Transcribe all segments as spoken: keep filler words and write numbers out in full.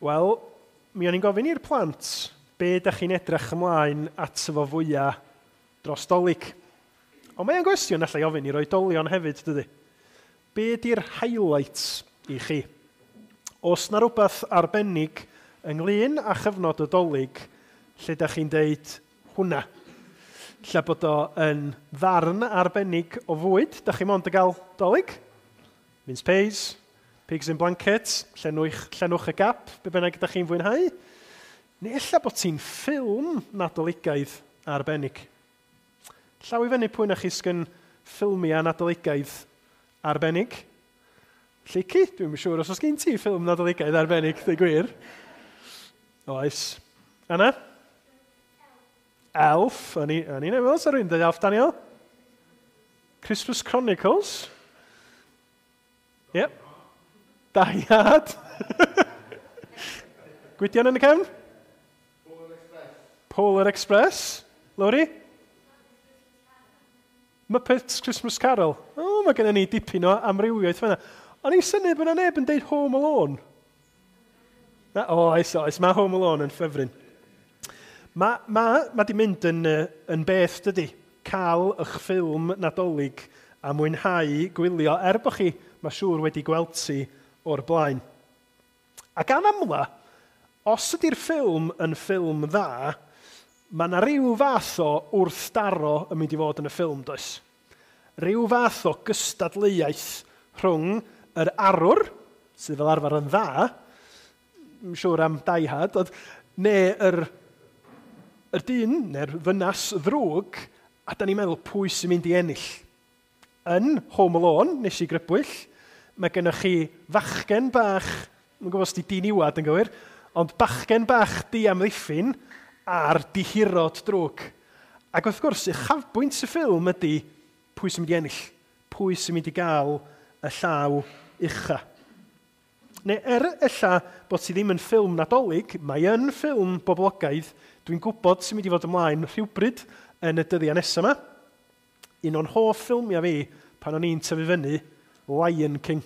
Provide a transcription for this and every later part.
Wel, mi o'n i'n gofyn i'r plant be ydych chi'n edrych ymlaen ato fo fwyaf dros Dolig. Ond mae'n gwestiwn allai ofyn i'r oedolion hefyd, dydy. Be ydy'r highlights i chi? Oes na rhywbeth arbennig ynglyn â chyfnod y Dolig lle ydych chi'n deud hwnna? Lle bod o yn ddarn arbennig o fwyd, ydych chi mond yn gael Dolig? Mince pies, pigs in blankets, llenwch, llenwch y gap, be bynnag ydych chi'n fwynhau. Neu ella bod ti'n ffilm nadoligaidd arbennig. Llaw i fyny pwy na chi sgyn ffilmiau nadoligaidd arbennig. Lleucu, dwi'n siŵr os oes gen ti ffilm nadoligaidd arbennig, dweud gwir. Oes. Anna? Elf. O'n i'n meddwl, sa rhywun dweud Elf, Daniel? Christmas Chronicles? Yep. Die Hard. Gwydion yn y cefn? Polar Express. Polar Express. Lowri? Muppets Christmas Carol. O, oh, mae gennym ni dipyn o amrywiaeth fan'na. O'n i'n synnu bod yna neb yn deud Home Alone. Na, o, oes, oes, mae Home Alone yn ffefryn. Mae ma, ma di mynd yn, yn beth, dydy, cael eich ffilm Nadolig a mwynhau gwylio, er bod chi, mae siŵr wedi gweld ti o'r blaen. Ac gan amla, os ydy'r ffilm yn ffilm dda, mae yna rhyw fath o wrthdaro yn mynd i fod yn y ffilm, does? Rhyw fath o gystadleuaeth rhwng yr arwr, sydd fel arfer yn dda, yn siŵr am Die Hard, ond, neu yr, yr dyn, neu'r ddynas ddrwg, a da ni'n meddwl pwy sy'n mynd i ennill. Yn Home Alone, nes i grybwyll, mae gennych chi fachgen bach, dwi'n gwybod os di diniwad yn gywir, ond bachgen bach diamddiffyn a'r dihirod drwg. Ac wrth gwrs, uchafbwynt y ffilm ydy pwy sy'n mynd i ennill, pwy sy'n mynd i gael y llaw ucha. Neu er ella bod ti ddim yn ffilm Nadolig, mae yn ffilm boblogaidd, dwi'n gwybod sy'n mynd i fod ymlaen rhywbryd yn y dyddiau nesaf yma. Un o'n hoff ffilmiau fi pan o'n i'n tyfu fyny, Lion King.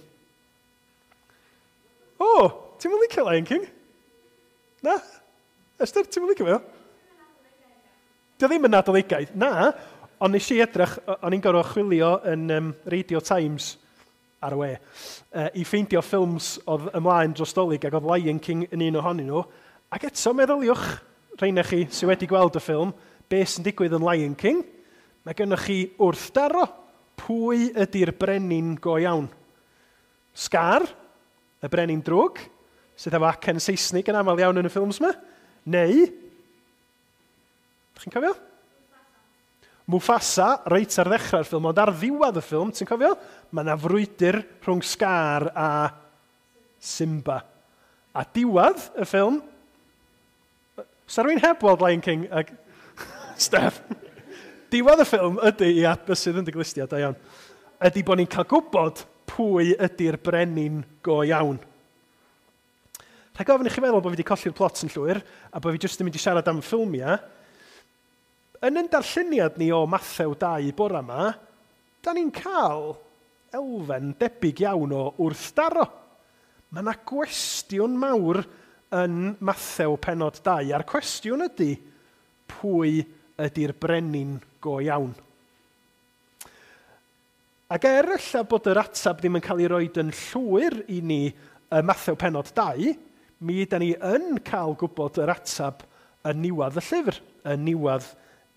O, oh, ti'n mynd licio Lion King? Na? Esther, ti'n mynd licio fe? Dio ddim yn nadoligaidd. Na, ond nes i edrych, o'n i'n gorfod chwilio yn um, Radio Times ar y we, uh, i ffeindio ffilms oedd ymlaen dros Dolig ac oedd Lion King yn un ohonyn nhw. Ac eto meddyliwch, rheina chi sydd wedi gweld y ffilm, beth sy'n digwydd yn Lion King, mae gennych chi wrthdaro. Pwy ydy'r brenin go iawn? Scar, y brenin drwg, sydd efo acen Saesnig yn aml iawn yn y ffilms yma, neu, chi'n cofio? Mufasa, reit ar ddechrau'r ffilm, ond ar ddiwedd y ffilm, ti'n cofio? Mae yna frwydr rhwng Scar a Simba. A diwedd y ffilm, sa rhywun heb weld Lion King ag Steph. Diwedd y ffilm ydy, ia, bysydd yn dy glustiau, da iawn, ydy bod ni'n cael gwybod pwy ydy'r brenin go iawn. Rhaid gofyn i chi feddwl bod fi wedi colli'r plot yn llwyr, a bod fi jyst yn mynd i siarad am ffilmiau. Yn yn darlleniad ni o Mathew dau bora yma, da ni'n cael elfen debyg iawn o wrthdaro. Mae yna gwestiwn mawr yn Mathew penod dau, a'r cwestiwn ydy pwy ydy'r brenin go iawn. Ac er ella bod yr ateb ddim yn cael ei roed yn llwyr i ni y Mathew penod dau, mi yda ni yn cael gwybod yr ateb yn niwedd y llyfr, yn niwedd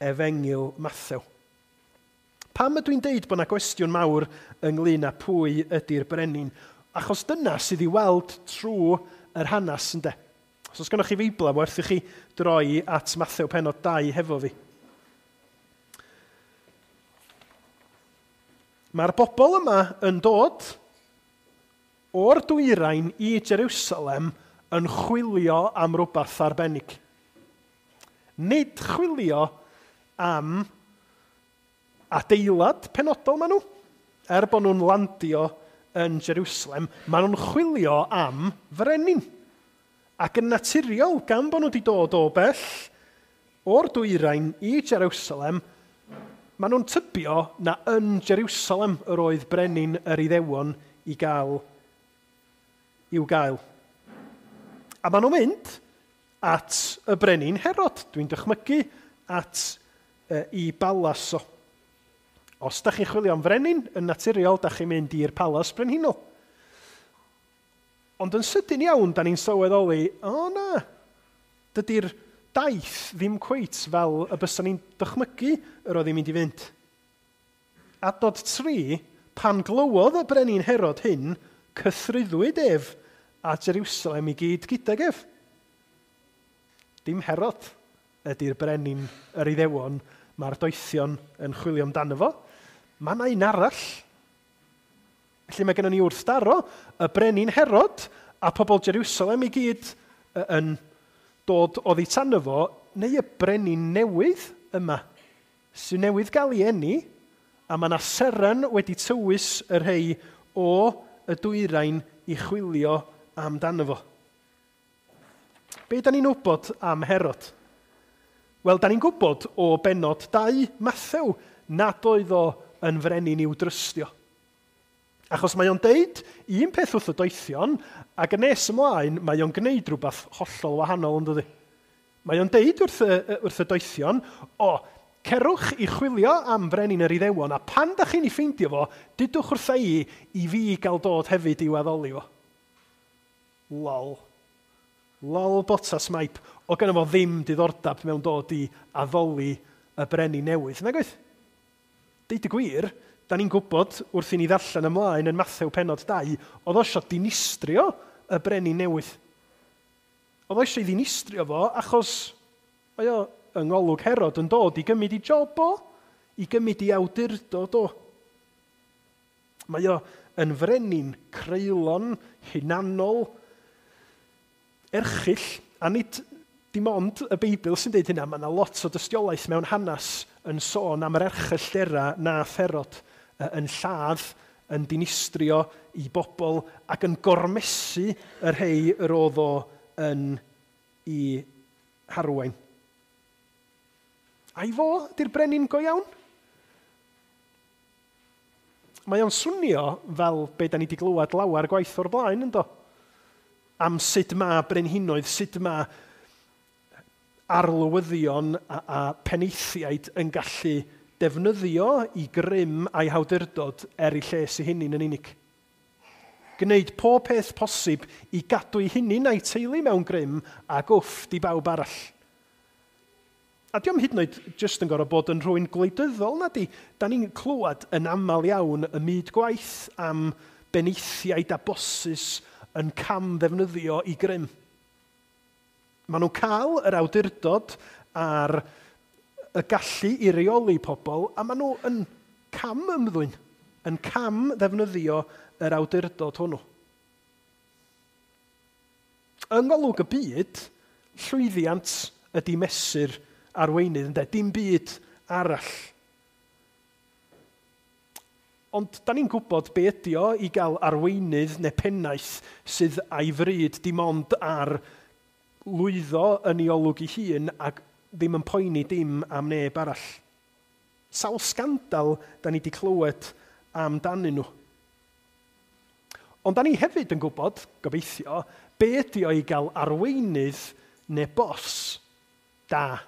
Efengyl Mathew. Pam ydw i'n deud bod yna gwestiwn mawr ynglyn â pwy ydy'r brenin? Achos dyna sydd i weld trwy yr hanes, ynde. Os oes gennych chi Feibl, werth i chi droi at Mathew penod dau hefo fi. Mae'r bobl yma yn dod o'r dwyrain i Jerusalem yn chwilio am rhywbeth arbennig. Nid chwilio am adeilad penodol maen nhw. Er bod nhw'n landio yn Jerusalem, maen nhw'n chwilio am frenin. Ac yn naturiol, gan bod nhw wedi dod o bell o'r dwyrain i Jerusalem, maen nhw'n tybio na yn Jerusalem yr oedd brenin yr Iddewon i gael, i'w gael. A maen nhw'n mynd at y brenin Herod. Dwi'n dychmygu at e, i balas o. Os da chi'n chwilio am frenin, yn naturiol, da chi'n mynd i'r palas brenhinol. Ond yn sydyn iawn, da ni'n sylweddoli, o oh, na, dydy'r daith ddim cweit fel y bysa ni'n dychmygu yr oedd hi'n mynd i fynd. Adnod tri, pan glywodd y brenin Herod hyn, cythruddwyd ef a Jerusalem i gyd gydag ef. Dim Herod ydy'r brenin yr Iddewon, mae'r doethion yn chwilio amdano fo. Mae yna un arall. Felly mae gennym ni wrthdaro y brenin Herod a pobl Jerusalem i gyd yn dod oddi tano fo, neu y brenin newydd yma, sy'n newydd gael ei eni, a mae yna seren wedi tywys y rhai o y dwyrain i chwilio amdano fo. Be da ni'n wybod am Herod? Wel, da ni'n gwybod o benod dau Mathew nad oedd o yn frenin i'w drystio. Achos mae o'n deud un peth wrth y doethion, ac yn nes ymlaen mae o'n gwneud rhywbeth hollol wahanol, yn dydi? Mae o'n deud wrth y, wrth y doethion, o, cerwch i chwilio am frenin yr Iddewon, a pan da chi'n ei ffeindio fo, dudwch wrtha i i fi gael dod hefyd i'w addoli fo. Lol. Lol botas maip. O gynno fo ddim diddordeb mewn dod i addoli y brenin newydd. Nag oedd? Deud y gwir, da ni'n gwybod wrth i ni ddarllen ymlaen yn Mathew penod dau, oedd o eisiau dinistrio y brenin newydd. Oedd o eisiau ddinistrio fo achos mae o yng ngolwg Herod yn dod i gymryd i job o, i gymryd i awdurdod o. Mae o yn frenin creulon, hunanol, erchyll, a nid dim ond y Beibl sy'n deud hynna, mae yna lot o dystiolaeth mewn hanes yn sôn am yr erchylltera nath Herod yn lladd, yn dinistrio i bobl ac yn gormesu y rhai yr oedd o yn i harwain. Ai fo ydy'r brenin go iawn? Mae o'n swnio fel be da ni wedi glywed lawer gwaith o'r blaen, yndo? Am sut mae brenhinoedd, sut mae arlywyddion a, a penaethiaid yn gallu defnyddio i grym a'i hawdurdod er ei lles ei hunain yn unig. Gwneud pob peth posib i gadw ei hunain a'i teulu mewn grym a gwfft i bawb arall. A diom hyd yn oed jyst yn gorfod bod yn rhywun gwleidyddol, na di. Da ni'n clywed yn aml iawn y myd gwaith am benaethiaid a bosses yn cam ddefnyddio i grym. Maen nhw'n cael yr awdurdod a'r y gallu i reoli pobl, a maen nhw yn cam ymddwyn, yn cam ddefnyddio yr awdurdod hwnnw. Yng ngolwg y byd, llwyddiant ydy mesur arweinydd, ynde? Dim byd arall. Ond da ni'n gwybod be ydi o i gael arweinydd neu pennaeth sydd a'i fryd dim ond ar lwyddo yn ei olwg ei hun ac ddim yn poeni dim am neb arall. Sawl sgandal da ni wedi clywed amdanyn nhw. Ond da ni hefyd yn gwybod, gobeithio, be ydi o i gael arweinydd neu bos da.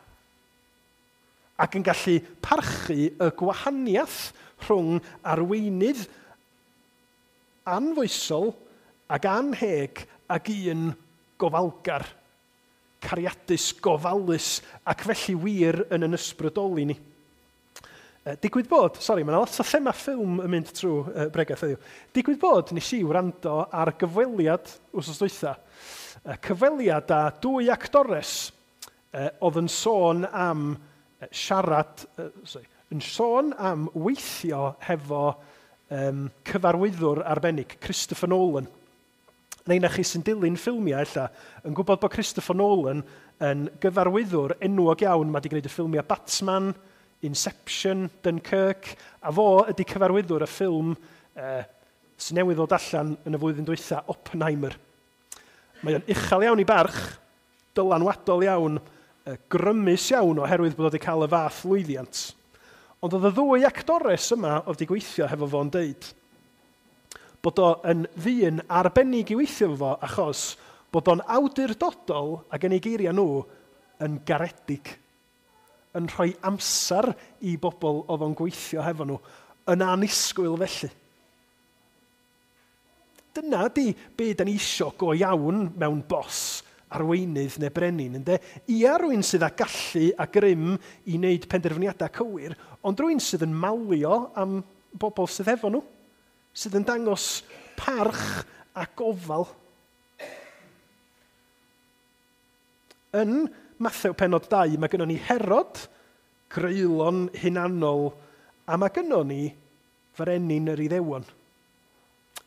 Ac yn gallu parchu y gwahaniaeth rhwng arweinydd anfoesol ac anheg ac un gofalgar, cariadus, gofalus, ac felly wir yn yn ysbrydoli ni. Digwydd bod, sori, mae yna lot o thema ffilm yn mynd trwy uh, bregaeth heddiw. Digwydd bod, nes i wrando ar gyfweliad wsos dwytha. Cyfweliad â dwy actores uh, oedd yn sôn am siarad, uh, sorry, yn sôn am weithio hefo um, cyfarwyddwr arbennig, Christopher Nolan. Neu na chi sy'n dilyn ffilmiau ella, yn gwybod bod Christopher Nolan yn gyfarwyddwr enwog iawn. Mae wedi gwneud y ffilmiau Batman, Inception, Dunkirk, a fo ydy cyfarwyddwr y ffilm eh, sy'n newydd ddod allan yn y flwyddyn dwytha, Oppenheimer. Mae o'n uchel iawn i barch, dylanwadol iawn, eh, grymus iawn oherwydd bod wedi cael y fath lwyddiant. Ond oedd y ddwy actores yma oedd wedi gweithio hefo fo'n deud bod o yn ddyn arbennig i weithio efo fo achos Bod o'n awdurdodol ac yn ei geiriau nhw yn garedig, yn rhoi amser i bobl oedd o'n gweithio hefo nhw, yn annisgwyl felly. Dyna di be da ni isio go iawn mewn bos, arweinydd neu brenin, ynde? Ia, rhywun sydd â gallu a grym i wneud penderfyniadau cywir, ond rhywun sydd yn malio am bobl sydd efo nhw, sydd yn dangos parch a gofal. Yn Mathew penod dau, mae gynnon ni Herod, greulon hunanol, a mae gynnon ni frenin yr Iddewon.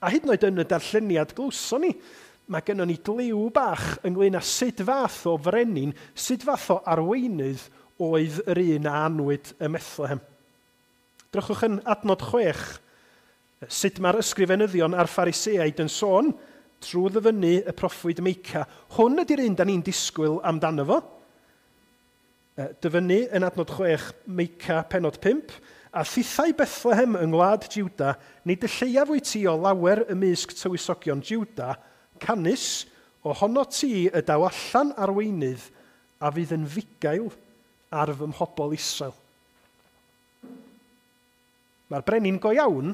A hyd yn oed yn y darlleniad glywson ni, mae gynnon ni gliw bach ynglyn â sut fath o frenin, sut fath o arweinydd oedd yr un a anwyd ym Methlehem. Drychwch yn adnod chwech, sut mae'r ysgrifenyddion a'r Phariseaid yn sôn trwy ddyfynnu y proffwyd Meica. Hwn ydy'r un da ni'n disgwyl amdano fo. Dyfynnu yn adnod chwech Meica penod pump, a thithau Bethlehem yng ngwlad Juda, nid y lleiaf wyt ti o lawer ymysg tywysogion Juda, canys, ohono ti y daw allan arweinydd a fydd yn fugail ar fy mhobl Israel. Mae'r brenin go iawn,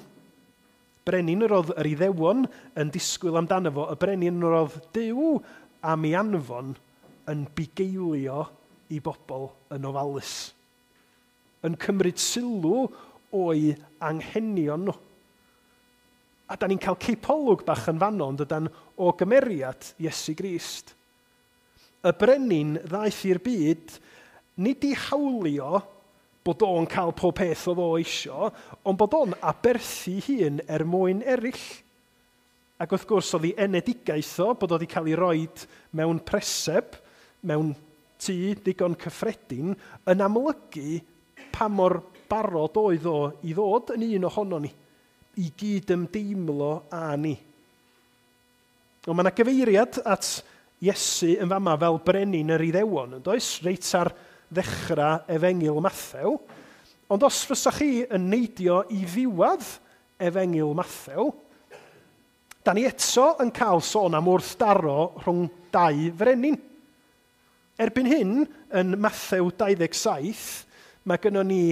brenin yr oedd yr Iddewon yn disgwyl amdano fo, y brenin yr oedd Duw am ei anfon yn bugeilio i bobl yn ofalus, yn cymryd sylw o'i anghenion nhw. A da ni'n cael cipolwg bach yn fanno, ond ydan o gymeriad Iesu Grist. Y brenin ddaeth i'r byd nid i hawlio bod o'n cael pob peth oedd o isio, ond bod o'n aberthu hun er mwyn eraill. Ac wrth gwrs oedd ei enedigaeth o, bod o wedi cael ei roed mewn preseb, mewn tŷ digon cyffredin, yn amlygu pa mor barod oedd o i ddod yn un ohono ni, i gyd ymdeimlo â ni. Ond mae yna gyfeiriad at Iesu yn fama fel brenin yr Iddewon, yn does? Reit ar ddechrau Efengyl Mathew. Ond os fysa chi yn neidio i ddiwedd Efengyl Mathew, da ni eto yn cael sôn am wrthdaro rhwng dau frenin. Erbyn hyn, yn Mathew dau ddeg saith, mae gynnon ni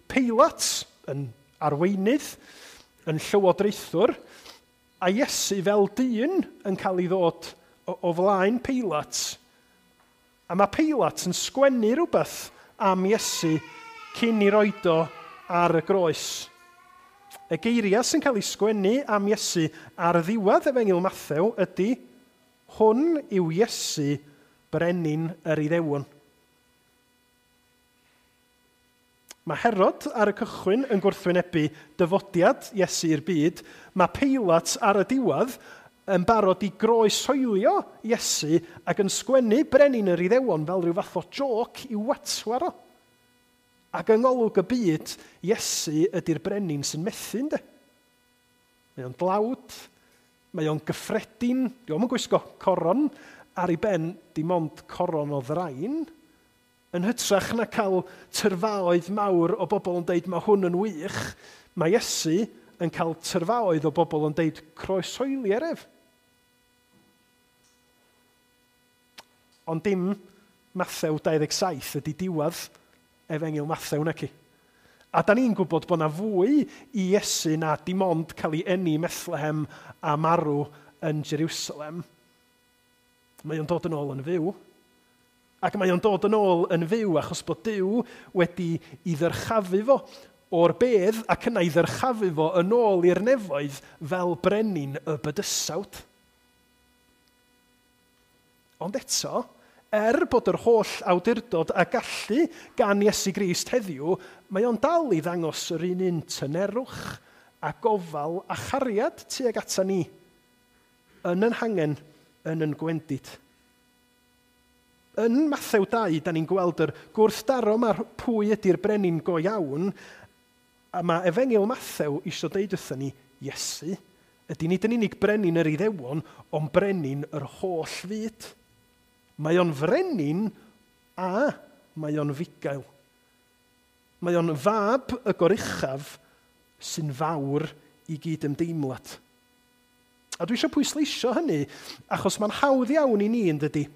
Peilat yn arweinydd, yn llywodraethwr, a Iesu fel dyn yn cael ei ddod o, o flaen Peilat. A mae Peilat yn sgwennu rhywbeth am Iesu cyn i roed o ar y groes. Y geiriau sy'n cael ei sgwennu am Iesu ar ddiwedd Efengyl Mathew ydy, hwn yw Iesu, brenin yr Iddewon. Mae Herod ar y cychwyn yn gwrthwynebu dyfodiad Iesu i'r byd. Mae Peilat ar y diwedd yn barod i groeshoelio Iesu ac yn sgwennu brenin yr Iddewon fel rhyw fath o joc i'w watwar o. Ac yng ngolwg y byd, Iesu ydy'r brenin sy'n methu, ynddo. Mae o'n dlawd, mae o'n gyffredin, dio'm yn gwisgo coron ar ei ben, dim ond coron o ddrain. Yn hytrach na cael tyrfaoedd mawr o bobl yn deud mae hwn yn wych, mae Iesu yn cael tyrfaoedd o bobl yn deud croeshoelier ef. Ond dim Mathew dau ddeg saith ydy diwedd Efengyl Mathew naci. A da ni'n gwybod bod na fwy i Iesu na dim ond cael ei eni Methlehem a marw yn Jerusalem. Mae o'n dod yn ôl yn fyw. Ac mae o'n dod yn ôl yn fyw achos bod Duw wedi ei ddyrchafu fo o'r bedd ac yna ei ddyrchafu fo yn ôl i'r nefoedd fel brenin y bydysawd. Ond eto, er bod yr holl awdurdod a gallu gan Iesu Grist heddiw, mae o'n dal i ddangos yr un un tynerwch a gofal a chariad tuag ata ni, yn yn hangen, yn yn gwendid. Yn Mathew dau, da ni'n gweld yr gwrthdaro mae'r pwy ydy'r brenin go iawn, a mae Efengyl Mathew eisiau deud wrthyn ni, Iesu, ydy nid yn unig brenin yr Iddewon, ond brenin yr holl fyd. Mae o'n frenin a mae o'n fugail. Mae o'n fab y goruchaf sy'n fawr i gyd ymdeimlad. A dwi eisiau pwysleisio hynny, achos mae'n hawdd iawn i ni, yn dydy,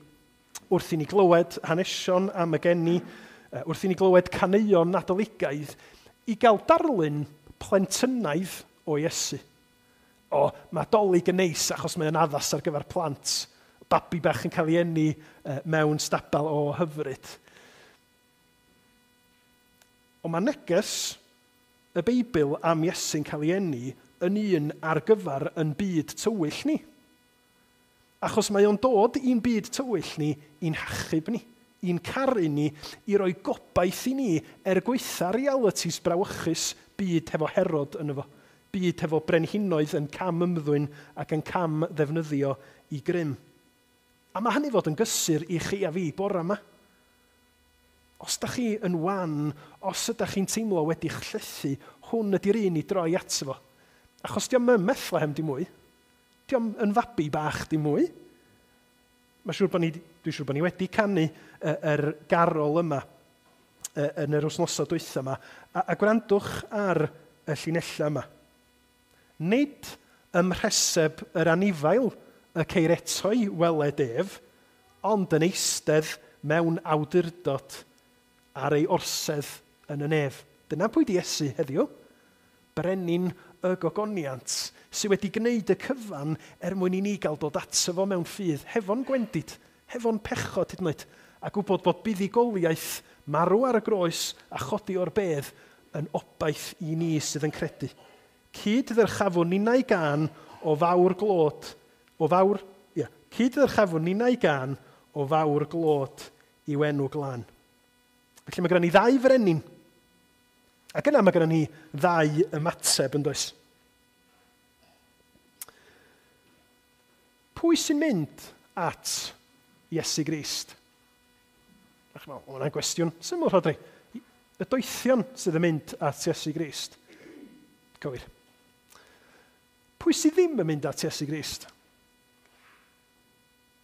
wrth i ni glywed hanesion am y geni, wrth i ni glywed caneuon Nadoligaidd, i gael darlun plentynaidd o Iesu. O, mae Dolig yn neis achos mae'n addas ar gyfer plant. Babi bach yn cael ei eni mewn stabal o hyfryd. Ond mae neges y Beibl am Iesu'n cael ei eni yn un ar gyfer yn byd tywyll ni. Achos mae o'n dod i'n byd tywyll ni, i'n hachub ni, i'n caru ni, i roi gobaith i ni er gwaetha realities brawychus byd hefo Herod yn efo. Byd hefo brenhinoedd yn cam ymddwyn ac yn cam ddefnyddio i grym. A mae hynny fod yn gysur i chi a fi bore yma. Os da chi yn wan, os ydych chi'n teimlo wedi'ch llethu, hwn ydy'r un i droi ato fo. Achos dio'm yn Bethlehem dim mwy. Dio'm yn fabi bach dim mwy. Mae siŵr bod ni, dwi'n siŵr bod ni wedi canu yr garol yma yn yr wythnosau dwytha yma. A, a gwrandwch ar y llinellau yma. Nid ym mhreseb yr anifail y ceir eto'i weled ef, ond yn eistedd mewn awdurdod ar ei orsedd yn y nef. Dyna pwy di Iesu heddiw. Brenin y gogoniant sydd wedi gwneud y cyfan er mwyn i ni gael dod ato fo mewn ffydd, hefo'n gwendid, hefo'n pechod hyd yn oed, a gwybod bod buddugoliaeth marw ar y groes a chodi o'r bedd yn obaith i ni sydd yn credu. Cyd ddyrchafwn ninnau gân o fawr glod, o fawr, ia, cyd ddyrchafwn ninnau gân o fawr glod i'w enw glân. Felly mae gennym ni ddau frenin. Ac yna mae gennym ni ddau ymateb, yn does? Pwy sy'n mynd at Iesu Grist? Ach, mae hwnna'n gwestiwn syml, Rhodri. Y doethion sydd yn mynd at Iesu Grist. Cywir. Pwy sydd ddim yn mynd at Iesu Grist?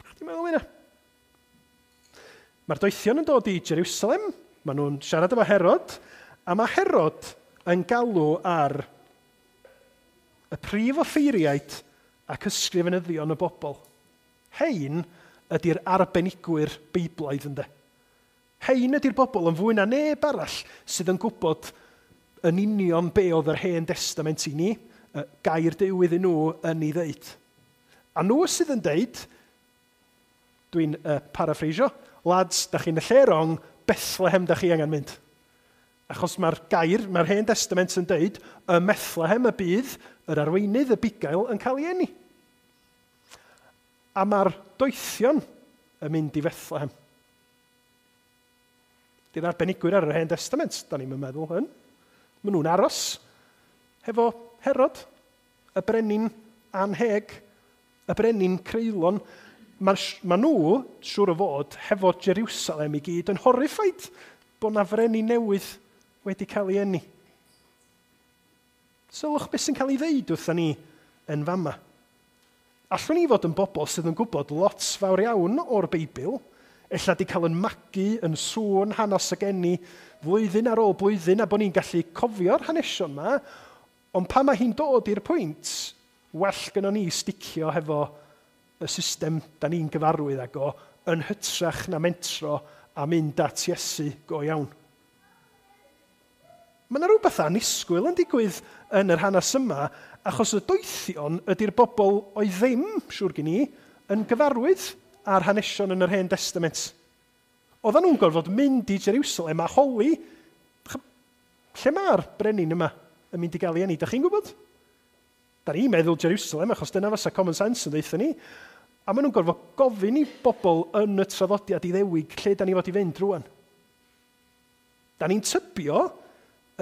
Chdi'n meddwl hynna? Mae'r doethion yn dod i Jerusalem, maen nhw'n siarad efo Herod, a mae Herod yn galw ar y prif offeiriaid ac ysgrifenyddion y bobl. Hein ydy'r arbenigwyr Beiblaidd, ynde. Hein ydy'r bobl yn fwy na neb arall sydd yn gwybod yn union be oedd yr Hen Testament i ni, gair Duw iddyn nhw yn ei ddeud. A nhw sydd yn deud, dwi'n uh, paraphrasio, lads, da chi'n y lle wrong, Bethlehem da chi angen mynd. Achos mae'r gair, mae'r Hen Testament yn deud, ym Methlehem y bydd yr arweinydd, y bugail, yn cael ei eni. A mae'r doethion yn mynd i Fethlehem. Di'r arbenigwyr ar yr Hen Testament, da ni'n meddwl hyn. Maen nhw'n aros hefo Herod, y brenin anheg, y brenin creulon. Mae ma nhw, siŵr o fod, hefo Jerusalem i gyd yn horrified bod na frenin newydd wedi cael ei eni. Sylwch beth sy'n cael ei ddeud wrtha ni yn fama. Allwn ni fod yn bobl sydd yn gwybod lot fawr iawn o'r Beibl, ella di cael yn magu yn sŵn hanes y geni flwyddyn ar ôl blwyddyn, a bod ni'n gallu cofio'r hanesion yma, ond pan mae hi'n dod i'r pwynt, well gynnon ni sticio hefo y system da ni'n gyfarwydd ag o, yn hytrach na mentro a mynd at Iesu go iawn. Mae yna rhywbeth annisgwyl yn digwydd yn yr hanes yma, achos y doethion ydy'r bobl oedd ddim, siŵr gen i, yn gyfarwydd â'r hanesion yn yr Hen Testament. Oedden nhw'n gorfod mynd i Jerusalem a holi, lle mae'r brenin yma yn mynd i gael ei eni? Da chi'n gwybod? Da ni'n meddwl Jerusalem, achos dyna fysa common sense yn ddeutha ni. A maen nhw'n gorfod gofyn i bobl yn y traddodiad Iddewig lle da ni fod i fynd rwan. Da ni'n tybio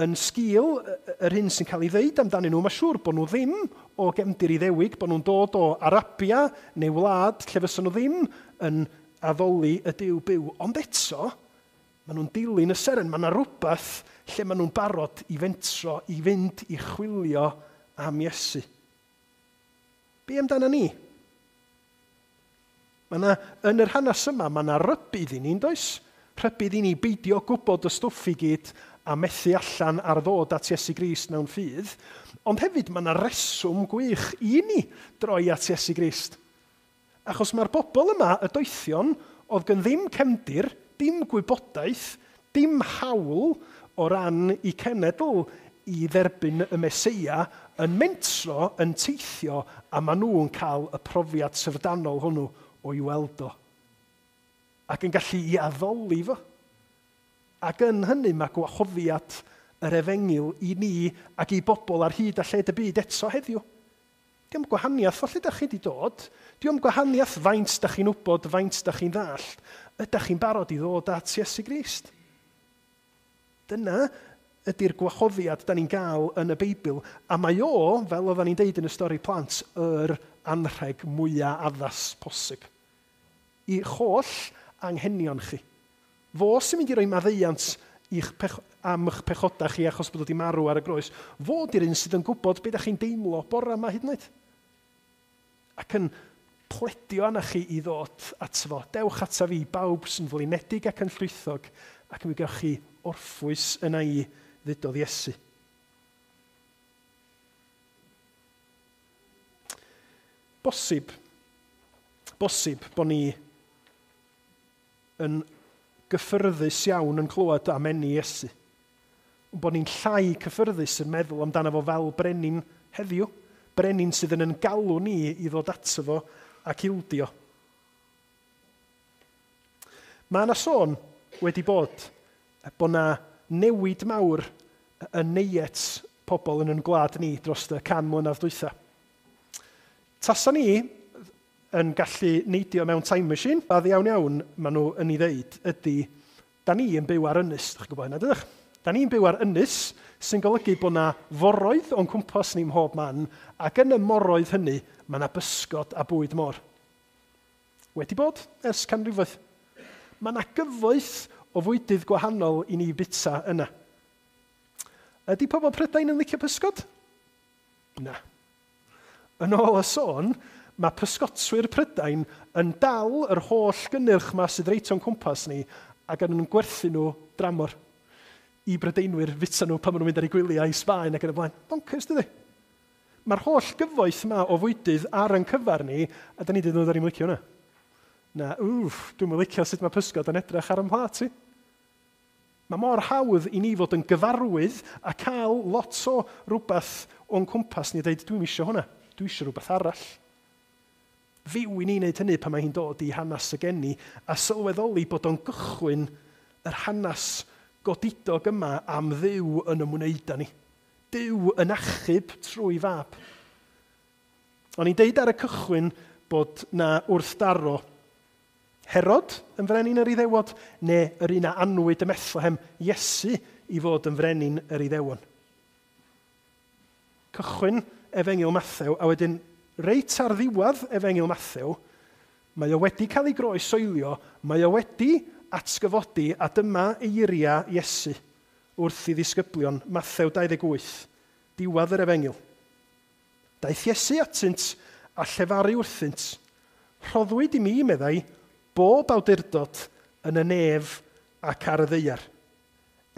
yn sgil yr hyn sy'n cael ei ddeud amdanyn nhw, mae siŵr bod nhw ddim o gefndir Iddewig, bod nhw'n dod o Arabia neu wlad lle fysa nhw ddim yn addoli y Duw byw. Ond eto, maen nhw'n dilyn y seren. Mae yna rhywbeth lle maen nhw'n barod i fentro, i fynd i chwilio am Iesu. Be amdana ni? Mae yna, yn yr hanes yma, mae yna rybudd i ni, does? Rhybudd i ni beidio gwybod y stwff i gyd a methu allan ar ddod at Iesu Grist mewn ffydd. Ond hefyd mae yna reswm gwych i ni droi at Iesu Grist. Achos mae'r bobl yma, y doethion, oedd gen ddim cefndir, dim gwybodaeth, dim hawl o ran i cenedl i dderbyn y Meseia, yn mentro, yn teithio, a maen nhw'n cael y profiad syfrdanol hwnnw o'i weld o. Ac yn gallu i addoli fo. Ac yn hynny mae gwahoddiad yr efengyl i ni ac i bobl ar hyd a lled y byd eto heddiw. Dio'm gwahaniaeth o lle da chi wedi dod. Dio'm gwahaniaeth faint da chi'n wybod, faint da chi'n ddallt. Ydych chi'n barod i ddod at Iesu Grist? Dyna ydy'r gwahoddiad da ni'n gael yn y Beibl. A mae o, fel oedden ni'n deud yn y stori plant, yr anrheg mwyaf addas posib. I holl anghenion chi. Fo sy'n mynd i roi maddeuant i'ch pech- am eich pechodau chi achos bod wedi marw ar y groes. Fo di'r un sydd yn gwybod beth ydych chi'n deimlo bore yma hyd yn oed. Ac yn pledio arna chi i ddod ato fo. Dewch ata fi, bawb sy'n flinedig ac yn llwythog, ac mi gewch chi orffwys yna i, ddudodd Iesu. Bosib, bosib bod ni yn gyffyrddus iawn yn clywed am eni Iesu. Ond bod ni'n llai cyffyrddus yn meddwl amdano fo fel brenin heddiw. Brenin sydd yn yn galw ni i ddod ato fo ac ildio. Mae yna sôn wedi bod bod yna newid mawr yn neiet pobl yn yn gwlad ni dros y can mlynedd dwytha. Tasa ni yn gallu neidio mewn time machine, a iawn iawn maen nhw yn ei ddeud ydy, da ni yn byw ar ynys, ydych chi'n gwybod hynna, dydych? Da ni'n byw ar ynys sy'n golygu bod yna foroedd o'n cwmpas ni mhob man, ac yn y moroedd hynny mae yna bysgod a bwyd môr. Wedi bod ers canrifoedd. Mae yna gyfoeth o fwydydd gwahanol i ni bita yna. Ydy pobl Prydain yn licio pysgod? Na. Yn ôl y sôn, mae pysgotwyr Prydain yn dal yr holl gynnyrch ma sydd reit o'n cwmpas ni ac yn gwerthu nhw dramor i Brydeinwyr fita nhw pan maen nhw'n mynd ar eu gwyliau i Sbaen ac yn y blaen. Bonkers, dydy? Mae'r holl gyfoeth yma o fwydydd ar ein cyfar ni, a da ni dweud, da ni'n licio hwnna. Na, wff, dwi'm yn licio sut mae pysgod yn edrych ar 'y mhlât i. Mae mor hawdd i ni fod yn gyfarwydd a cael lot o rhywbeth o'n cwmpas ni a dweud, dwi'm isio hwnna, dwi isio rhywbeth arall. Fyw i ni wneud hynny pan mae hi'n dod i hanes y geni a sylweddoli bod o'n gychwyn yr hanes godidog yma am Dduw yn ymwneud â ni. Duw yn achub trwy fab. O'n i'n deud ar y cychwyn bod na wrthdaro Herod yn frenin yr Iddewod, neu yr un a anwyd ym Methlehem, Iesu, i fod yn frenin yr Iddewon. Cychwyn Efengyl Mathew, a wedyn reit ar ddiwedd Efengyl Mathew, mae o wedi cael ei groesoelio, mae o wedi atgyfodi, a dyma eiriau Iesu wrth i ddisgyblion, Mathew dau ddeg wyth, diwedd yr Efengyl. Daeth Iesu atynt a llefaru wrthynt, rhoddwyd i mi, meddai, bob awdurdod yn y nef ac ar y ddaear.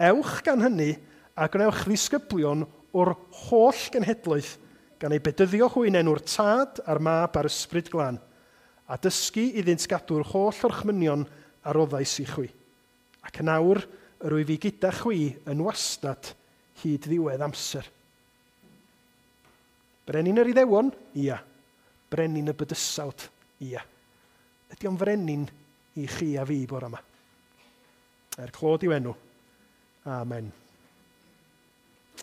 Ewch gan hynny a gwnewch ddisgyblion o'r holl genhedloedd, gan eu bedyddio hwy yn enw'r Tad a'r Mab a'r Ysbryd Glân, a dysgu iddynt gadw'r holl orchmynion a roddais i chwi. Ac yn awr, yr wyf fi gyda chwi yn wastad hyd ddiwedd amser. Brenin yr Iddewon? Ia. Brenin y bydysawd? Ia. Ydy o'n frenin i chi a fi bore yma? Er clod i'w enw. Amen.